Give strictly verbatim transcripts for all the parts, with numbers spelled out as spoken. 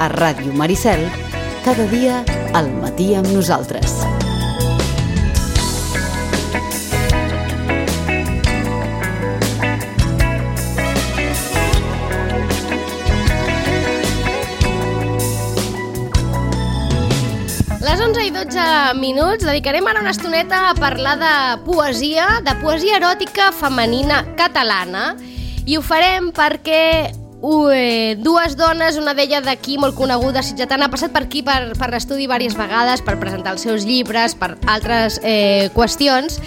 a Ràdio Maricel, cada dia al matí amb nosaltres. Les onze i dotze minuts dedicarem ara una estoneta a parlar de poesia, de poesia eròtica femenina catalana, i ho farem perquè uh, dues dones, una d'elles d'aquí molt coneguda, sitgetana, ha passat per aquí per, per l'estudi diverses vegades per presentar els seus llibres, per altres eh, qüestions.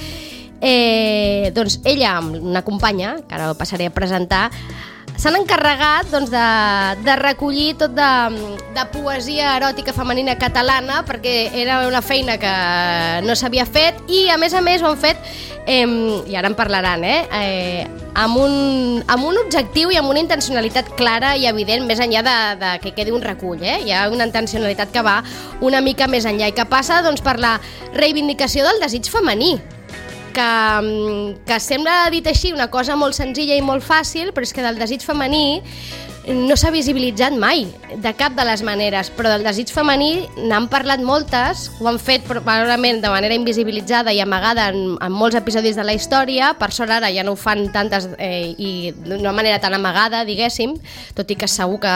Eh, doncs ella, amb una companya, que ara ho passaré a presentar, s'han encarregat doncs, de, de recollir tot de, de poesia eròtica femenina catalana, perquè era una feina que no s'havia fet, i a més a més ho han fet, eh, i ara en parlaran, eh, eh, amb, un, amb un objectiu i amb una intencionalitat clara i evident, més enllà de, de que quedi un recull. Eh? Hi ha una intencionalitat que va una mica més enllà i que passa doncs, per la reivindicació del desig femení. Que, que sembla, dit així, una cosa molt senzilla i molt fàcil, però és que del desig femení no s'ha visibilitzat mai, de cap de les maneres, però del desig femení n'han parlat moltes, ho han fet probablement de manera invisibilitzada i amagada en, en molts episodis de la història. Per sort ara ja no ho fan tantes eh, i d'una manera tan amagada, diguéssim, tot i que segur que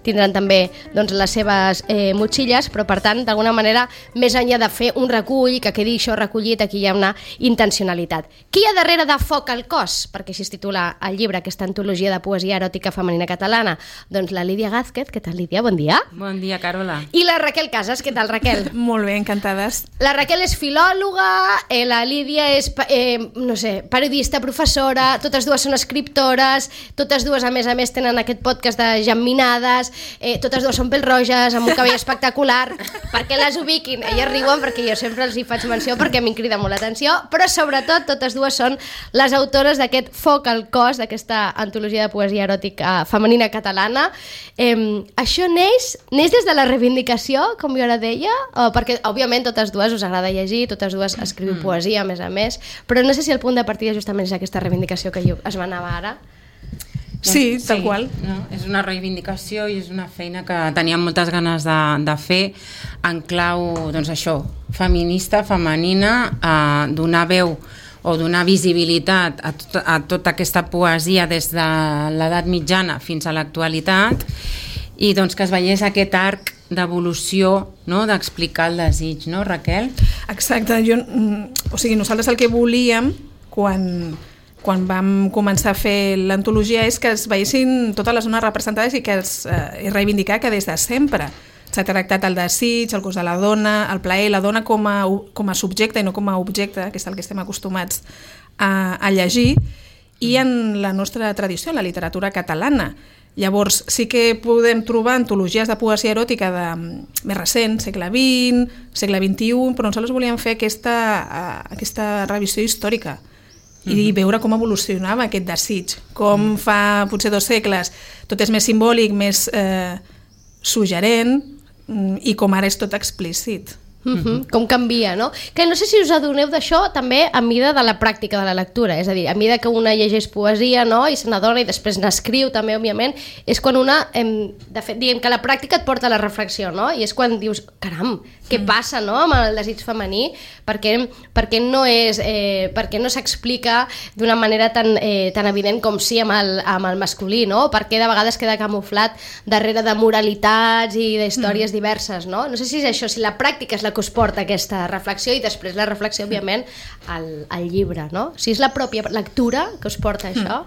tindran també doncs, les seves eh, motxilles, però per tant, d'alguna manera, més enllà de fer un recull, que quedi això recollit, aquí hi ha una intencionalitat. Qui hi ha darrere de Foc al cos? Perquè així es titula el llibre, aquesta antologia de poesia eròtica femenina catalana. Doncs la Lídia Gázquez. Què tal, Lídia? Bon dia. Bon dia, Carola. I la Raquel Casas. Què tal, Raquel? Molt bé, encantades. La Raquel és filòloga, eh, la Lídia és, eh, no sé, periodista, professora, totes dues són escriptores, totes dues, a més a més, tenen aquest podcast de gemminades, eh, totes dues són pèl-roges, amb un cabell espectacular, perquè les ubiquin. Elles riuen perquè jo sempre els hi faig menció perquè a mi em crida molt l'atenció, però sobretot totes dues són les autores d'aquest Foc al cos, d'aquesta antologia de poesia eròtica femenina catalana. catalana. Eh, això neix, neix des de la reivindicació, com jo ara deia, o perquè, òbviament, totes dues us agrada llegir, totes dues escriu poesia, a més a més, però no sé si el punt de partida justament és aquesta reivindicació que jo es manava ara. Sí, tal sí, qual. No? És una reivindicació i és una feina que teníem moltes ganes de, de fer en clau, doncs això, feminista, femenina, eh, donar veu o donar visibilitat a, tot, a tota aquesta poesia des de l'edat mitjana fins a l'actualitat, i doncs que es veiés aquest arc d'evolució, no? D'explicar el desig, no, Raquel? Exacte. Jo, o sigui, nosaltres el que volíem quan, quan vam començar a fer l'antologia és que es veiessin totes les dones representades i que es eh, reivindicar que des de sempre s'ha tractat el desig, el cos de la dona, el plaer, la dona com a, com a subjecte i no com a objecte, que és el que estem acostumats a, a llegir, i en la nostra tradició, en la literatura catalana. Llavors, sí que podem trobar antologies de poesia eròtica de, més recent, segle vint, segle vint-i-u, però nosaltres volíem fer aquesta, aquesta revisió històrica i uh-huh. veure com evolucionava aquest desig, com uh-huh. fa potser dos segles tot és més simbòlic, més eh, suggerent, i com ara és tot explícit. Uh-huh. Com canvia, no? Que no sé si us adoneu d'això també a mida de la pràctica de la lectura, és a dir, a mida que una llegeix poesia, no? I se n'adona i després n'escriu també, òbviament, és quan una, em, de fet, diguem que la pràctica et porta a la reflexió, no? I és quan dius, caram, què passa, no?, amb el desig femení, perquè, perquè no és, eh, perquè no s'explica d'una manera tan, eh, tan evident com sí amb el, amb el masculí, no? Perquè de vegades queda camuflat darrere de moralitats i d'històries mm. diverses, no? No sé si és això, si la pràctica és la que us porta aquesta reflexió i després la reflexió, òbviament, al, al llibre, no? Si és la pròpia lectura que us porta això.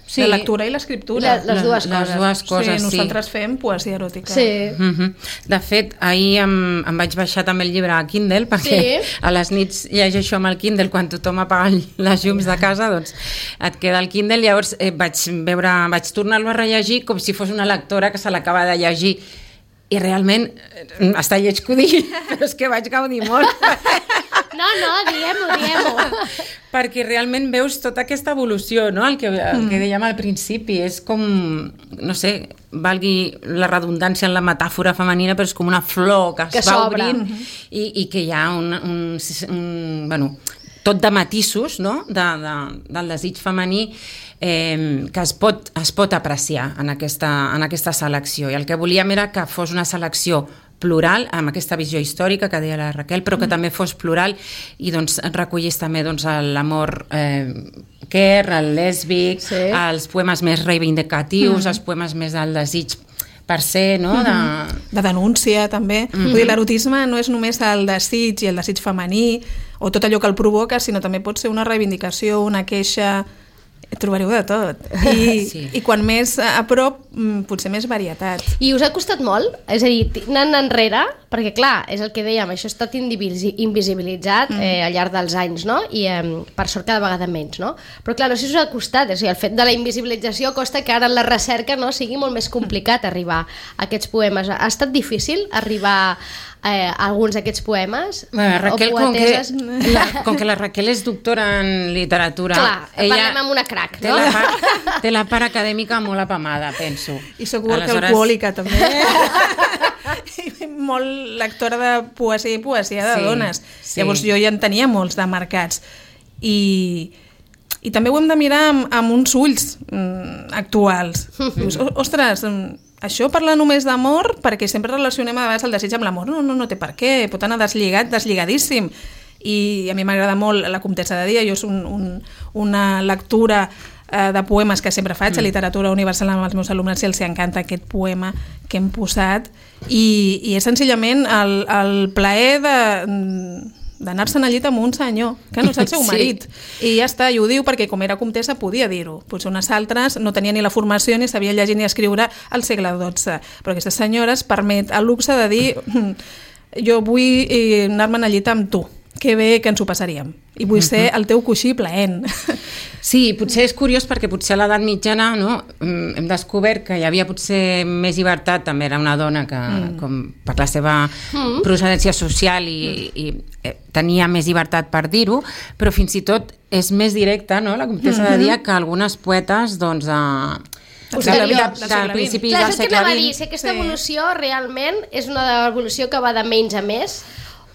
Sí. La lectura i l'escriptura. Les, les dues les, coses. Les dues coses, sí. Nosaltres sí. fem poesia eròtica. Sí. Uh-huh. De fet, ahir em, em vaig baixar també el llibre a Kindle, perquè sí. a les nits llegeixo amb el Kindle quan tothom apaga les llums de casa, doncs et queda el Kindle. Llavors eh, vaig veure, vaig tornar-lo a rellegir com si fos una lectora que se l'acaba de llegir. I realment està lleig que ho digui, però és que vaig gaudir molt. No, no, diguem-ho, diguem-ho. Perquè realment veus tota aquesta evolució, no? El que, el que dèiem al principi, és com, no sé, valgui la redundància en la metàfora femenina, però és com una flor que, que es va obrint i, i que hi ha un, un, un, bueno, tot de matisos, no? de, de, del desig femení eh, que es pot, es pot apreciar en aquesta, en aquesta selecció. I el que volíem era que fos una selecció plural, amb aquesta visió històrica que deia la Raquel, però que mm. també fos plural i doncs recollís també doncs, l'amor eh, queer, el lèsbic, sí. els poemes més reivindicatius, mm. els poemes més del desig per ser, no? De, de denúncia, també. Mm-hmm. Vull dir, l'erotisme no és només el desig i el desig femení o tot allò que el provoca, sinó també pot ser una reivindicació, una queixa... Trobareu de tot. I, sí. i quan més a prop, potser més varietat. I us ha costat molt? És a dir, anant enrere, perquè clar, és el que dèiem, això ha estat invisibilitzat mm. eh, al llarg dels anys, no? I eh, per sort cada vegada menys, no? Però clar, no sé si us ha costat, o sigui, el fet de la invisibilització costa que ara en la recerca no sigui molt més complicat arribar a aquests poemes. Ha estat difícil arribar Eh, alguns d'aquests poemes bueno, Raquel, com que, la, com que la Raquel és doctora en literatura, clar, ella parlem amb una crac, té, no? la part, té la part acadèmica molt apamada, penso. I soc alcohòlica també molt lectora de poesia i poesia de sí, dones sí. Llavors jo ja en tenia molts de marcats i, i també ho hem de mirar amb, amb uns ulls mm, actuals. Dius, ostres, això parla només d'amor perquè sempre relacionem a vegades el desig amb l'amor. No, no, no té per què, pot anar deslligat, deslligadíssim. I a mi m'agrada molt La Comtessa de Dia, jo és un, un, una lectura eh, de poemes que sempre faig, mm. a Literatura Universal amb els meus alumnes, i els encanta aquest poema que hem posat, i, i és senzillament el, el plaer de... d'anar-se'n al llit amb un senyor, que no és el seu marit. Sí. I ja està, i ho diu perquè com era comtessa podia dir-ho. Potser unes altres no tenien ni la formació ni sabia llegir ni escriure al segle dotze. Però aquesta senyora es permet el luxe de dir jo vull anar-me'n al llit amb tu. Que bé que ens ho passaríem. I vull ser el teu coixí plaent. Sí, potser és curiós perquè potser a l'edat mitjana, no, hem descobert que hi havia potser més llibertat, també era una dona que, mm. com per la seva mm. procedència social i, i eh, tenia més llibertat per dir-ho, però fins i tot és més directa, no, la Comtessa mm-hmm. de Dia, que algunes poetes, doncs, a del, del, del, del principi Clar, del segle vint. Dir, si aquesta sí. evolució realment és una evolució que va de menys a més,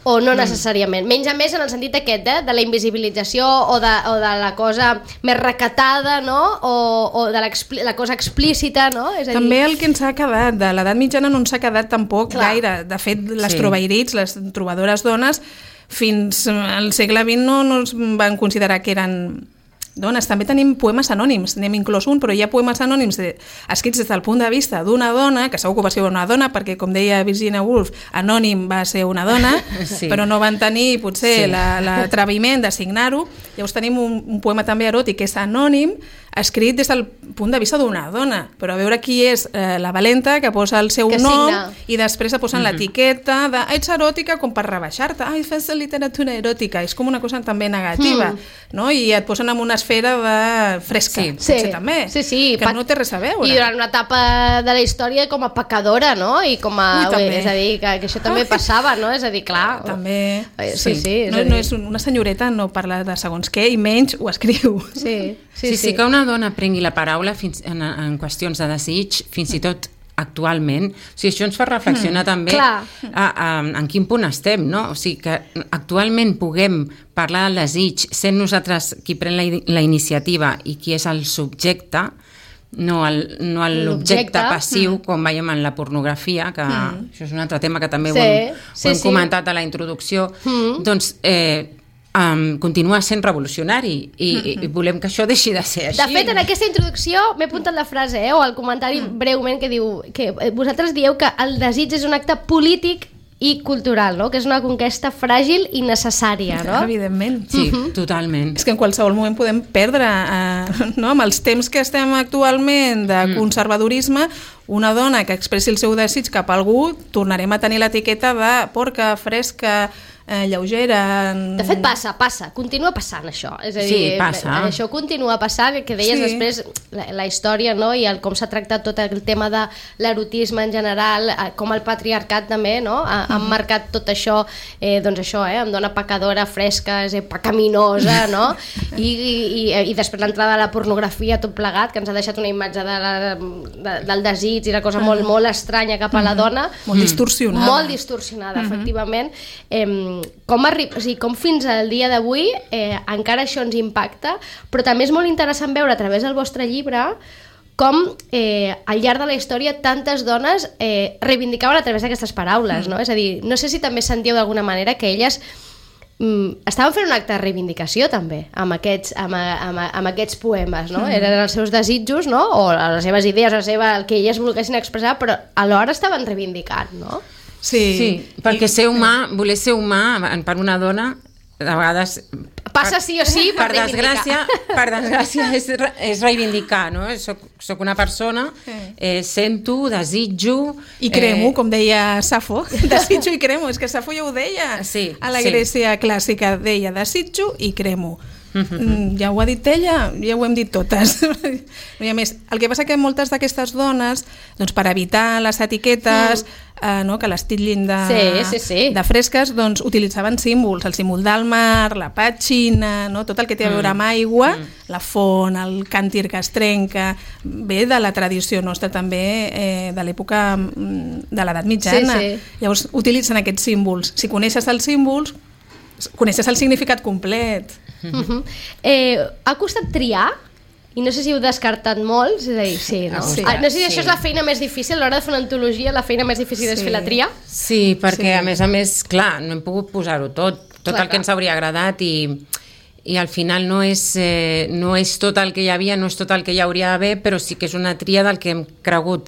o no necessàriament. Menys a més en el sentit aquest, eh? De la invisibilització o de, o de la cosa més recatada, no? O, o de la cosa explícita, no? És a dir... També el que ens ha quedat, de l'edat mitjana no ens ha quedat tampoc Clar. gaire. De fet, les sí. trobairits, les trobadores dones, fins al segle vint no, no es van considerar que eren dones. També tenim poemes anònims, n'hem inclòs un, però hi ha poemes anònims de, escrits des del punt de vista d'una dona, que segur que va ser una dona, perquè com deia Virginia Woolf, anònim va ser una dona, sí. però no van tenir potser sí. l'atreviment de signar-ho. Llavors tenim un, un poema també eròtic que és anònim, escrit des del punt de vista d'una dona, però a veure qui és eh, la valenta que posa el seu que nom signa. I després se posen mm -hmm. l'etiqueta de ets eròtica com per rebaixar-te, ai, fes literatura eròtica, és com una cosa també negativa, mm. no? I et posen en una esfera de fresca, sí. potser sí. també, sí, sí. que pa no té res a veure. I durant una etapa de la història com a pecadora, no? I com a... Ui, és a dir, que, que això també passava, no? És a dir, clar... També, sí, sí. sí és no, dir... no és una senyoreta, no parla de segons què, i menys ho escriu. Sí, sí, sí, sí. sí que una dona prengui la paraula fins en, en qüestions de desig, fins i tot actualment, o sigui, això ens fa reflexionar mm, també a, a, en quin punt estem, no? O sigui, que actualment puguem parlar del desig sent nosaltres qui pren la, la iniciativa i qui és el subjecte, no l'objecte passiu, mm. com veiem en la pornografia, que mm. això és un altre tema que també sí, ho hem, sí, ho hem sí. comentat a la introducció, mm. doncs... Eh, Um, continua sent revolucionari i, mm-hmm. i volem que això deixi de ser així. De fet, en aquesta introducció m'he apuntat la frase, eh, o el comentari mm. breument que diu que vosaltres dieu que el desig és un acte polític i cultural, no? Que és una conquesta fràgil i necessària, no? Evidentment. Sí, mm-hmm. totalment. És que en qualsevol moment podem perdre, eh, no? Amb els temps que estem actualment de mm. conservadorisme, una dona que expressi el seu desig cap a algú, tornarem a tenir l'etiqueta de porca, fresca, eh, lleugera... De fet passa, passa, continua passant això, és a dir, sí, passa. Això continua passant, que deies sí. després la, la història, no? I el, com s'ha tractat tot el tema de l'erotisme en general, com el patriarcat també, no? Ha, ha Mm-hmm. marcat tot això, eh, doncs això, eh, amb dona pecadora, fresca, és pecaminosa, no? I, i, i després l'entrada de la pornografia, tot plegat, que ens ha deixat una imatge de la, de, del desig i la cosa molt, molt estranya cap a la dona. Molt distorsionada. Molt distorsionada, mm-hmm. efectivament. Eh, com, arri... o sigui, com fins al dia d'avui eh, encara això ens impacta, però també és molt interessant veure a través del vostre llibre com eh, al llarg de la història tantes dones eh, reivindicaven a través d'aquestes paraules, no? Mm. És a dir, no sé si també sentiu d'alguna manera que elles mm, estaven fent un acte de reivindicació també amb aquests, amb, amb, amb aquests poemes, no? Mm. Eren els seus desitjos, no? O les seves idees, la seva, el que elles volguessin expressar, però alhora estaven reivindicant, no? Sí, sí, perquè ser humà, voler ser humà per una dona, de vegades passa sí o sí per, per desgràcia, per desgràcia és, és reivindicar, no? Soc, soc una persona, eh, sento, desitjo... I cremo, eh... com deia Safo, desitjo i cremo, és que Safo ja ho deia sí, a la sí. Grècia clàssica, deia desitjo i cremo. Mm-hmm. Ja ho ha dit ella, ja ho hem dit totes. No hi ha més. El que passa que moltes d'aquestes dones, doncs, per evitar les etiquetes, mm. eh, no, que les titllin de, sí, sí, sí. de fresques, doncs utilitzaven símbols, el símbol del mar, la petxina, no, tot el que té a veure amb aigua, mm. la font, el càntir que es trenca, ve de la tradició nostra també, eh, de l'època de l'edat mitjana. Sí, sí. Llavors utilitzen aquests símbols. Si coneixes els símbols, coneixes el significat complet. Uh-huh. eh, ha costat triar? I no sé si heu descartat molts, és a dir, sí, no? Sí, ah, no sé si sí. això és la feina més difícil, a l'hora de fer una antologia, la feina més difícil sí. és fer la tria? Sí, perquè sí. a més a més, clar, no hem pogut posar-ho tot, tot clar, el que ens hauria agradat i, i al final no és, eh, no és tot el que hi havia, no és tot el que hi hauria d'haver, però sí que és una tria del que hem cregut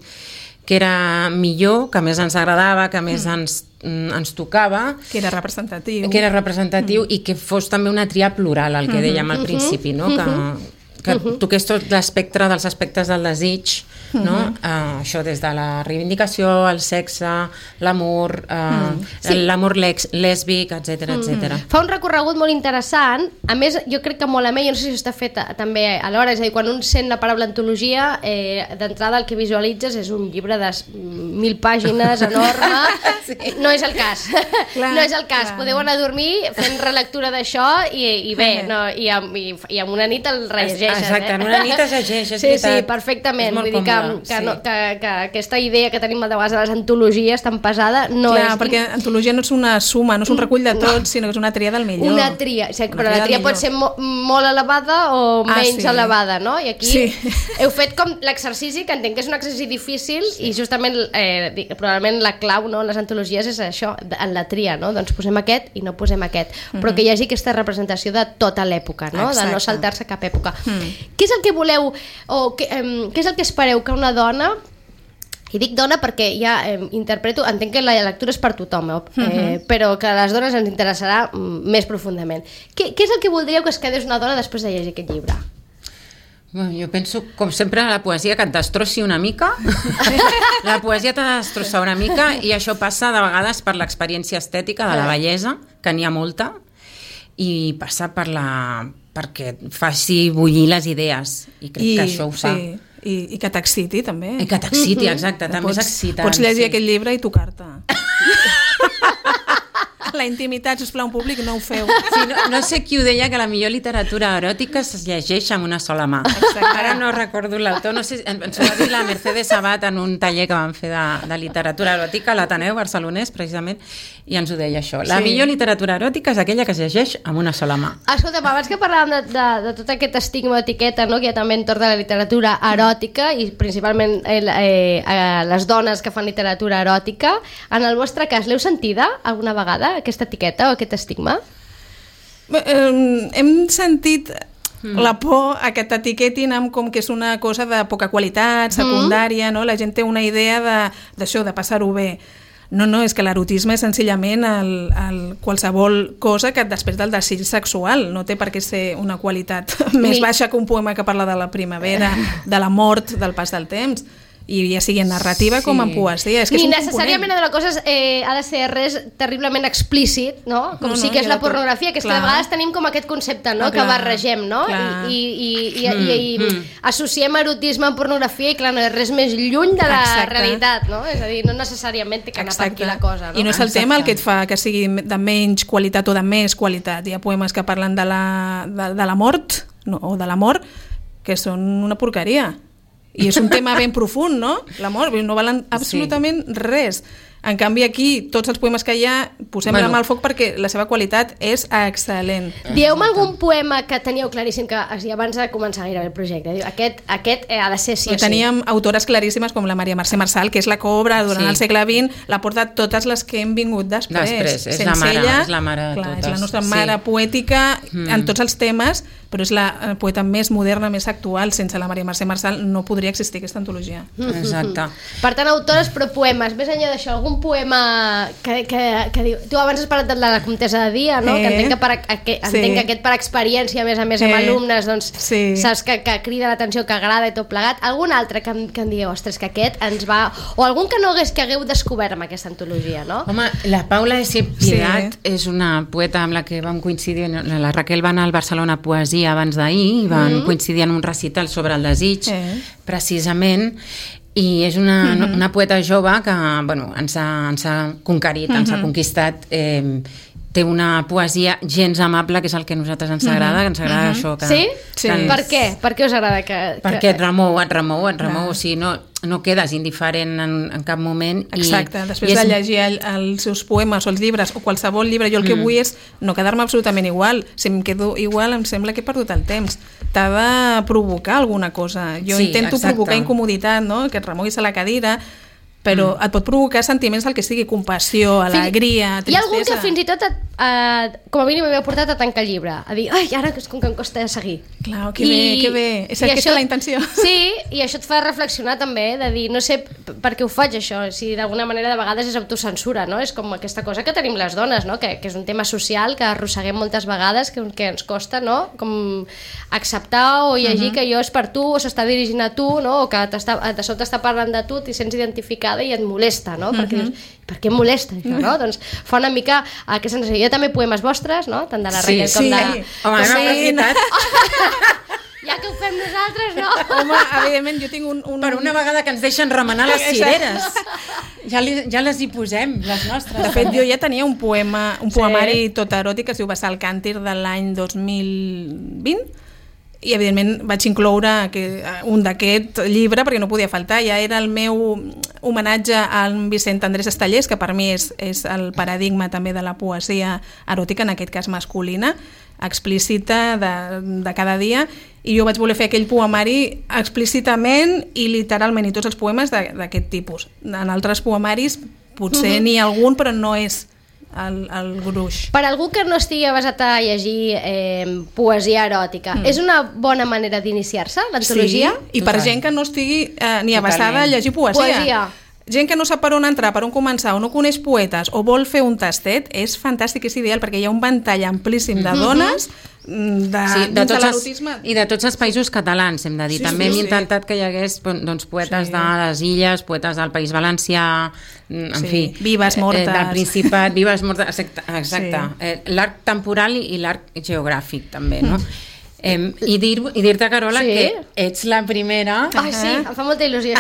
que era millor, que més ens agradava, que més mm. ens, ens tocava. Que era representatiu. Que era representatiu mm. i que fos també una tria plural, el que mm-hmm. dèiem al principi, no? Mm-hmm. que, que mm-hmm. toqués tot l'espectre dels aspectes del desig, no? Mm-hmm. Uh, això des de la reivindicació, el sexe, l'amor, uh, mm. sí. l'amor lèsbic, etcètera, etcètera. Mm. Fa un recorregut molt interessant, a més jo crec que molt a més, jo no sé si està fet també alhora, és a dir, quan un sent la paraula antologia, eh, d'entrada el que visualitzes és un llibre de mil pàgines enorme, sí. no és el cas, clar, no és el cas, clar. Podeu anar a dormir fent relectura d'això i, i bé, no, i, amb, i, i amb una nit el rellegeixes. Exacte, eh? en una nit es llegeix, és sí, veritat. Sí, perfectament, vull dir que, que, sí. no, que, que aquesta idea que tenim de vegades de les antologies tan pesada no clar, és... perquè antologia no és una suma, no és un recull de tot, no. sinó que és una tria del millor. Una tria, o sigui, una però tria la tria pot ser mo molt elevada o ah, menys sí. elevada, no? I aquí sí. heu fet com l'exercici, que entenc que és un exercici difícil sí. i justament eh, probablement la clau, no?, en les antologies és això, en la tria, no? Doncs posem aquest i no posem aquest, mm-hmm. però que hi hagi aquesta representació de tota l'època, no? Exacte. De no saltar-se cap època. Mm. Què és el que voleu, o què, eh, què és el que espereu que una dona... I dic dona perquè ja eh, interpreto, entenc que la lectura és per tothom, eh, uh-huh. però que a les dones ens interessarà mm, més profundament. Què, què és el que voldríeu que es quedés una dona després de llegir aquest llibre? Bueno, jo penso, com sempre, la poesia que et destrossi una mica. La poesia t'ha de destrossar una mica i això passa de vegades per l'experiència estètica de la bellesa, que n'hi ha molta, i passa per la... perquè faci bullir les idees, i crec I, que això ho fa. Sí. I, i que t'exciti també i que t'exiti, exacte, mm-hmm. també pots, és excitant pots llegir sí. aquest llibre i tocar-te la intimitat, sisplau, en públic no ho feu sí, no, no sé qui ho deia, que la millor literatura eròtica es llegeix amb una sola mà. Exacte. Ara no recordo l'autor, no sé, ens ho va dir la Mercedes Abad en un taller que vam fer de, de literatura eròtica a l'Ateneu Barcelonès, precisament, i ens ho deia això, la sí. millor literatura eròtica és aquella que es llegeix amb una sola mà. Escolta, abans que parlàvem de, de, de tot aquest estigma o etiqueta, no?, que hi ha també entorn de la literatura eròtica i principalment eh, eh, les dones que fan literatura eròtica, en el vostre cas l'heu sentida alguna vegada, aquesta etiqueta o aquest estigma? Eh, hem sentit mm. la por a que t'etiquetin amb com que és una cosa de poca qualitat, secundària, mm. no? La gent té una idea d'això, de, de passar-ho bé. No, no, és que l'erotisme és senzillament el, el qualsevol cosa que després del desig sexual no té per què ser una qualitat més Ni... baixa que un poema que parla de la primavera, de la mort, del pas del temps. I ja sigui en narrativa sí. com en poesia. És que Ni és un necessàriament de la cosa eh, ha de ser res terriblement explícit, no? Com no, sí que no, és la pornografia, que és clar. Que de vegades tenim com aquest concepte, no? Ah, que barregem, no? Clar. I, i, i, mm, i, i mm. associem erotisme amb pornografia i clar, no és res més lluny de la Exacte. Realitat, no? És a dir, no necessàriament té que anar Exacte. Per aquí la cosa, no? I no és el Exacte. Tema el que et fa que sigui de menys qualitat o de més qualitat. Hi ha poemes que parlen de la, de, de la mort no, o de l'amor que són una porqueria. I és un tema ben profund, no? L'amor, no valen absolutament sí. res. En canvi, aquí, tots els poemes que hi ha, posem bueno. la mà al foc perquè la seva qualitat és excel·lent. Dieu-me algun poema que teníeu claríssim que abans de començar gairebé el projecte. Aquest, aquest ha de ser sí o sí. Teníem autores claríssimes com la Maria Mercè Marçal, que és la que obra durant sí. el segle vint, l'ha portat totes les que hem vingut després. Després, és Sense la mare, ella, és la mare de clar, totes. És la nostra mare sí. poètica mm. en tots els temes, però és la poeta més moderna, més actual. Sense la Maria Mercè Marçal no podria existir aquesta antologia. Exacte. Per tant, autores però poemes. Més enllà d'això, algun poema que, que, que diu... Tu abans has parlat de la Comtessa de Dia, no? Eh. Que entenc que, per, que, entenc sí. que aquest per experiència, a més a més amb eh. alumnes, doncs sí. saps que, que crida l'atenció, que agrada i tot plegat. Algun altre que, que em digueu, ostres, que aquest ens va... O algun que no hagués que hagueu descobert amb aquesta antologia, no? Home, la Paula S. Piedad sí. és una poeta amb la que vam coincidir, la Raquel va anar al Barcelona Poesia abans d'ahir i van mm. coincidir en un recital sobre el desig, eh. precisament, i és una, mm-hmm. una poeta jove que bueno, ens, ha, ens ha conquerit, mm-hmm. ens ha conquistat. Eh, té una poesia gens amable, que és el que a nosaltres ens agrada, que ens agrada mm-hmm. això. Que, sí? sí. Que ens... Per què? Per què us agrada? Que, que... Perquè et remou, et remou, et remou, o sigui, no, no quedes indiferent en, en cap moment. Exacte, i, després i és... de llegir el, els seus poemes o els llibres o qualsevol llibre, jo el que mm. vull és no quedar-me absolutament igual. Si em quedo igual em sembla que he perdut el temps. T'ha de provocar alguna cosa. Jo sí, intento exacte. provocar incomoditat, no? Que et remoguis a la cadira, però mm. et pot provocar sentiments del que sigui, compassió, alegria, tristesa. Hi ha algun que fins i tot et, eh, com a mínim m'havia portat a tancar el llibre, a dir, ai, ara és com que em costa seguir. Clar, que I, bé, que bé, és aquesta això, la intenció. Sí, i això et fa reflexionar també, de dir, no sé per què ho faig això, si d'alguna manera de vegades és autocensura, no? És com aquesta cosa que tenim les dones, no? Que, que és un tema social que arrosseguem moltes vegades, que, que ens costa, no? Com acceptar o llegir uh -huh. que jo és per tu, o s'està dirigint a tu, no? O que de sobte està parlant de tu, t'hi sents identificat i et molesta, no? Perquè uh-huh. dius, per què em molesta això, no? Doncs fa una mica aquesta sensació. Jo també poemes vostres, no? Tant de la Raquel sí, com sí. de... Home, com hem aprofitat. Ja que ho fem nosaltres, no? Home, evidentment, jo tinc un... un... Per una vegada que ens deixen remenar les cireres. Ja, li, ja les hi posem, les nostres. De fet, jo ja tenia un poema, un poemari sí. tot eròtic que es diu Vessar el càntir de l'any dos mil vint, i evidentment vaig incloure un d'aquest llibre perquè no podia faltar. Ja era el meu homenatge al Vicent Andrés Estellés, que per mi és, és el paradigma també de la poesia eròtica, en aquest cas masculina, explícita de, de cada dia, i jo vaig voler fer aquell poemari explícitament i literalment, i tots els poemes d'aquest tipus. En altres poemaris potser uh-huh. n'hi ha algun, però no és el, el gruix. Per algú que no estigui basat a llegir eh, poesia eròtica, mm. és una bona manera d'iniciar-se, l'antologia? Sí, i per Total. gent que no estigui eh, ni avasada a llegir poesia. Poesia. Gent que no sap per on entrar, per on començar, o no coneix poetes, o vol fer un tastet, és fantàstic, és ideal, perquè hi ha un ventall amplíssim de dones, de, sí, de tots els, i de tots els països catalans, hem de dir. Sí, També sí, hem sí. intentat que hi hagués doncs, poetes sí. de les Illes, poetes del País Valencià, en sí. fi, vives mortes, eh, del Principat, vives mortes, exacte, exacte. Sí. Eh, l'arc temporal i l'arc geogràfic també, no? Mm. Eh, i dir-te, dir Carola, sí. que ets la primera... Ai, sí, em fa molta il·lusió.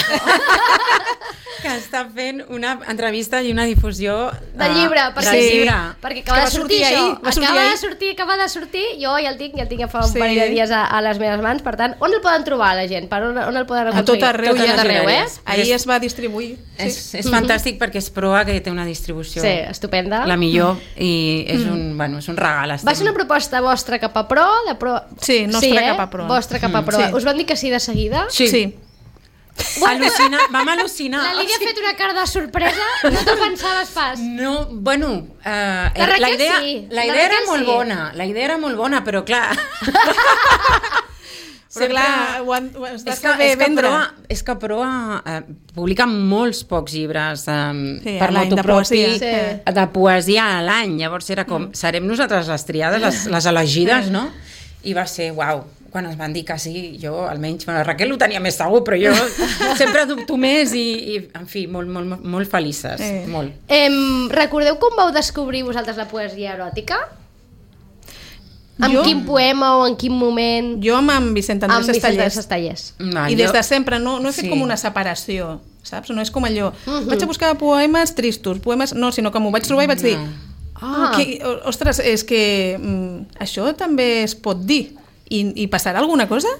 que està fent una entrevista i una difusió del llibre, perquè, del llibre. perquè acaba de sortir, sortir això, ahir, acaba sortir de sortir, acaba de sortir, jo ja el tinc, ja el tinc ja fa un sí. parell de dies a, a les meves mans, per tant, on el poden trobar la gent? Per on, on el poden aconseguir? A tot arreu, tot arreu, eh? Ahir es va distribuir. És, sí. és fantàstic perquè és proa que té una distribució sí, estupenda. La millor, i és un, bueno, és un regal. Estem... Va ser una proposta vostra cap a pro? De pro... Sí, nostra sí, eh? cap a pro. Vostra cap a pro. Mm, sí. Us van dir que sí de seguida? Sí. sí. Al·lucina, vam al·lucinar. La Lídia ha fet una cara de sorpresa, no t'ho pensaves pas. No, bueno, uh, la, la, la idea, sí. la idea la era molt sí. bona, la idea era molt bona, però clar... Però sempre, clar, ho han, ho has de és que, saber és que vendre. Proa, és que Proa eh, publica molts pocs llibres eh, sí, per motu propi de, sí. de poesia a l'any. Llavors era com, mm. serem nosaltres les triades, les, les elegides, no? I va ser, uau, quan ens van dir que sí, jo almenys, bueno, Raquel ho tenia més segur, però jo sempre dubto més i, i en fi, molt, molt, molt felices, eh. molt. Eh, recordeu com vau descobrir vosaltres la poesia eròtica? En jo, quin poema o en quin moment? Jo amb en Vicent Andrés Estellés. Estellés. No, I jo... des de sempre, no, no he fet sí. com una separació, saps? No és com allò, uh-huh. vaig a buscar poemes tristos, poemes... No, sinó que m'ho vaig trobar i vaig dir, no. ah, que, ostres, és que mm, això també es pot dir. I, i passarà alguna cosa?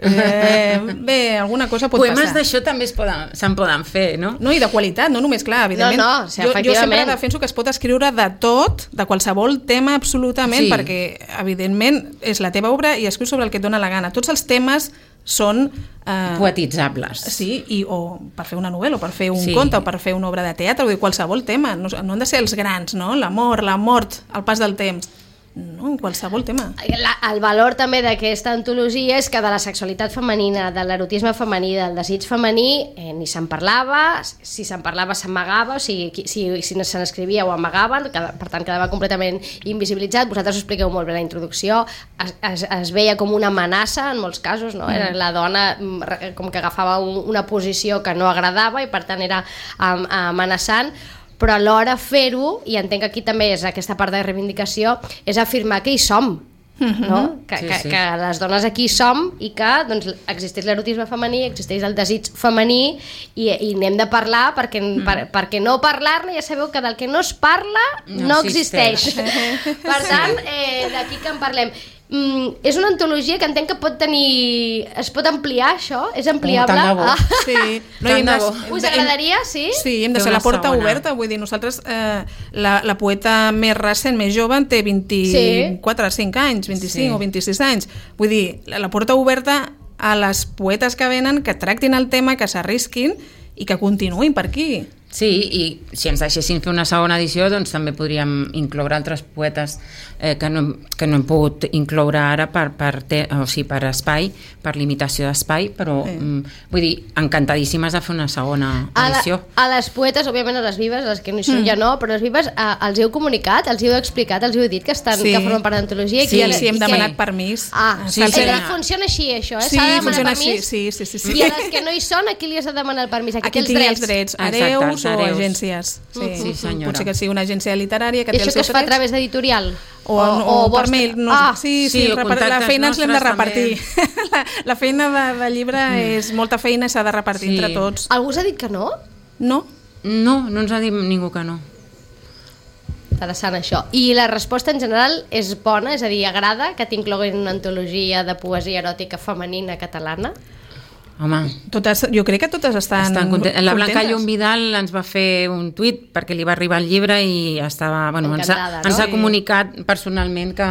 Eh, bé, alguna cosa pot Poemes passar. d'això també es poden, se'n poden fer, no? No, i de qualitat, no només, clar, evidentment. No, no, o sigui, jo, jo sempre efectivament. defenso que es pot escriure de tot, de qualsevol tema absolutament, Sí. perquè, evidentment, és la teva obra i escrius sobre el que et dóna la gana. Tots els temes són... Eh, Poetitzables. Sí, i, o per fer una novel·la, o per fer un Sí. conte, o per fer una obra de teatre, vull dir, qualsevol tema. No, no han de ser els grans, no? L'amor, la mort, el pas del temps. No, qualsevol tema. La, el valor també d'aquesta antologia és que de la sexualitat femenina, de l'erotisme femení, del desig femení, eh, ni se'n parlava, si se'n parlava s'amagava, o sigui, qui- si, si no se n'escrivia ho amagaven, que, per tant quedava completament invisibilitzat. Vosaltres ho expliqueu molt bé a la introducció, es, es, es veia com una amenaça en molts casos, no? Era la dona mm, re- com que agafava un, una posició que no agradava i per tant era am, amenaçant, però alhora fer-ho, i entenc que aquí també és aquesta part de reivindicació, és afirmar que hi som, no? que, Sí, que, sí. que les dones aquí hi som i que doncs, existeix l'erotisme femení, existeix el desig femení i, i n'hem de parlar perquè, mm. per, perquè no parlar-ne, ja sabeu que del que no es parla no, No existeix. existeix. Per tant, eh, d'aquí que en parlem. Mm, és una antologia que entenc que pot tenir... Es pot ampliar, això? És ampliable? tant de bo. Ah. Sí. Tant hem de de- bo. hem Us de- hem- agradaria, sí? Sí, hem de Fer ser la una porta segona. oberta, vull dir, nosaltres, eh, la, la poeta més recent, més jove, en té vint-i-quatre, cinc anys, vint-i-cinc Sí. o vint-i-sis anys. Vull dir, la, la porta oberta a les poetes que venen, que tractin el tema, que s'arrisquin i que continuïn per aquí. Sí, i si ens deixessin fer una segona edició, doncs també podríem incloure altres poetes eh, que, no, que no hem pogut incloure ara per, per, te, o sigui, per espai, per limitació d'espai, però Sí. mm, vull dir, encantadíssimes de fer una segona A, la, edició. a les poetes, òbviament a les vives, a les que no hi són mm. ja no, però les vives a, els heu comunicat, els heu explicat, els heu dit que, estan, Sí. que formen part d'antologia. Sí, i que- sí, hem i que- demanat permís. Ah, Sí, sí, sí. sí. Funciona així, això, eh? Sí, S'ha de demanar funciona així, permís. sí, sí, sí, sí. I a les que no hi són, a qui li has de demanar el permís? A qui Aquí té tinc els els drets? drets, Exacte, hereus els o hereus. agències. Sí. Sí, senyora. Potser que sigui una agència literària que I té això els que es seus fa a drets. través d'editorial? O, o, o per vostre- mail. No, ah, sí, sí, Sí, o repar- la contactes feina ens l'hem de nostres repartir. la, la feina de, de llibre mm. és molta feina i s'ha de repartir Sí. entre tots. algú us ha dit que no? No? No, no ens ha dit ningú que no. Interessant això. I la resposta en general és bona? És a dir, agrada que t'incloguin una antologia de poesia eròtica femenina catalana? Home, Totes, jo crec que totes estan, estan contentes. La Blanca contentes. Llum Vidal ens va fer un tuit perquè li va arribar el llibre i estava, bueno, ens, ha, Encantada, no? ens ha Sí. comunicat personalment que,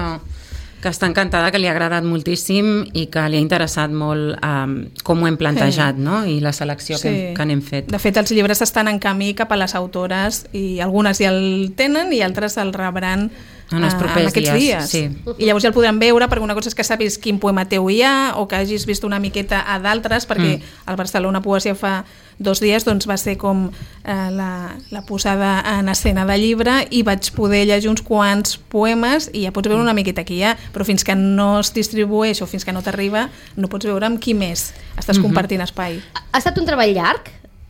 que està encantada, que li ha agradat moltíssim i que li ha interessat molt um, com ho hem plantejat, Sí. no? I la selecció Sí. que, que n'hem fet. De fet, els llibres estan en camí cap a les autores i algunes ja el tenen i altres el rebran En els eh, propers aquests dies, dies. sí. I llavors ja el podran veure, perquè una cosa és que sàpigues quin poema teu hi ha o que hagis vist una miqueta a d'altres, perquè Mm. al Barcelona Poesia fa dos dies doncs, va ser com eh, la, la posada en escena de llibre i vaig poder llegir uns quants poemes i ja pots veure una miqueta qui hi ha, però fins que no es distribueix o fins que no t'arriba no pots veure amb qui més estàs Mhm. compartint espai. Ha estat un treball llarg?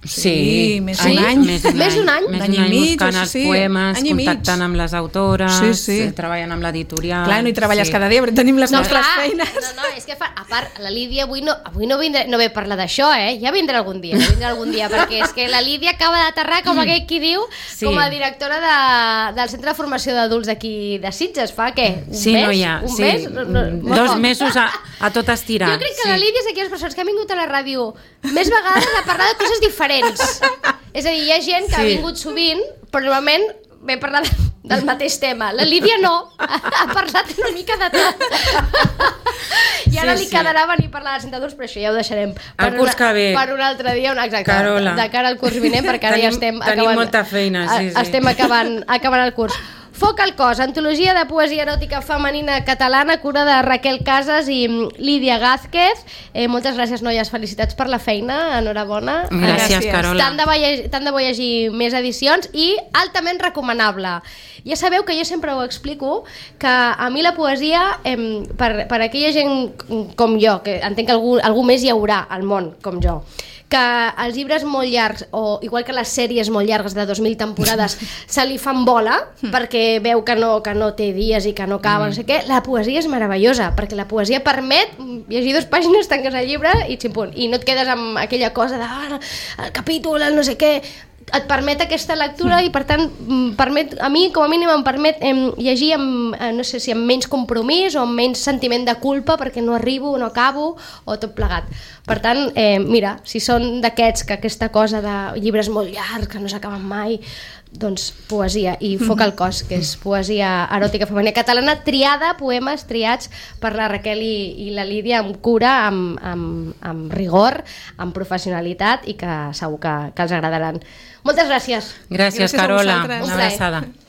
Sí, més d'un sí, any. Més d'un Més d'un any? Més Un any d'un i any mig, buscant o els sí, poemes, any i mig. contactant amb les autores, Sí, sí. eh, treballant amb l'editorial. Clar, no hi treballes sí. cada dia, però tenim les No, nostres clar, feines. no, no, és que fa, a part, la Lídia avui no, avui no, vindré, no ve a parlar d'això, eh? Ja vindrà algun dia, ja vindrà algun dia, perquè és que la Lídia acaba d'aterrar, com aquell qui diu, Sí. com a directora de, del Centre de Formació d'Adults d'aquí de Sitges, fa què? Un Sí, mes? no hi ha. Un Sí, mes? No, no, molt dos poc. mesos a, a tot estirar. Jo crec que sí. la Lídia és d'aquelles persones que han vingut a la ràdio més vegades a parlar de coses diferents. És a dir, hi ha gent que sí. ha Sí. vingut sovint, però normalment ve a parlar de, del mateix tema. La Lídia no, ha parlat una mica de tot. I ara Sí, li sí. quedarà venir a parlar de centre d'adults, però això ja ho deixarem per, El curs una, que ve. per un altre dia. Una, exacte, Carola. de cara al curs vinent, perquè ara ja Tenim- estem tenim acabant, molta feina, sí, sí. estem acabant, acabant el curs. Foc al cos, antologia de poesia eròtica femenina catalana, cura de Raquel Casas i mm, Lídia Gázquez. Eh, moltes gràcies, noies, felicitats per la feina, enhorabona. Gràcies, Gràcies. Carola. Tant de, bo llegir, tant de bo llegir més edicions i altament recomanable. Ja sabeu que jo sempre ho explico, que a mi la poesia, eh, per, per aquella gent com jo, que entenc que algú, algú més hi haurà al món com jo, que els llibres molt llargs, o igual que les sèries molt llargues de dos mil temporades, se li fan bola, perquè veu que no, que no té dies i que no acaba, no sé què. La poesia és meravellosa, perquè la poesia permet llegir dues pàgines, tanques el llibre i ximpunt. I no et quedes amb aquella cosa de ah, el capítol, el no sé què. et permet aquesta lectura i per tant permet, a mi com a mínim em permet eh, llegir amb, eh, no sé si amb menys compromís o amb menys sentiment de culpa perquè no arribo, no acabo o tot plegat. Per tant, eh, mira, si són d'aquests que aquesta cosa de llibres molt llargs que no s'acaben mai, doncs poesia i Foc al cos, que és poesia eròtica femenina catalana triada, poemes triats per la Raquel i, i la Lídia amb cura, amb, amb, amb rigor, amb professionalitat i que segur que, que els agradaran. Moltes gràcies. Gràcies, Gràcies a Carola. vosaltres. Una abraçada.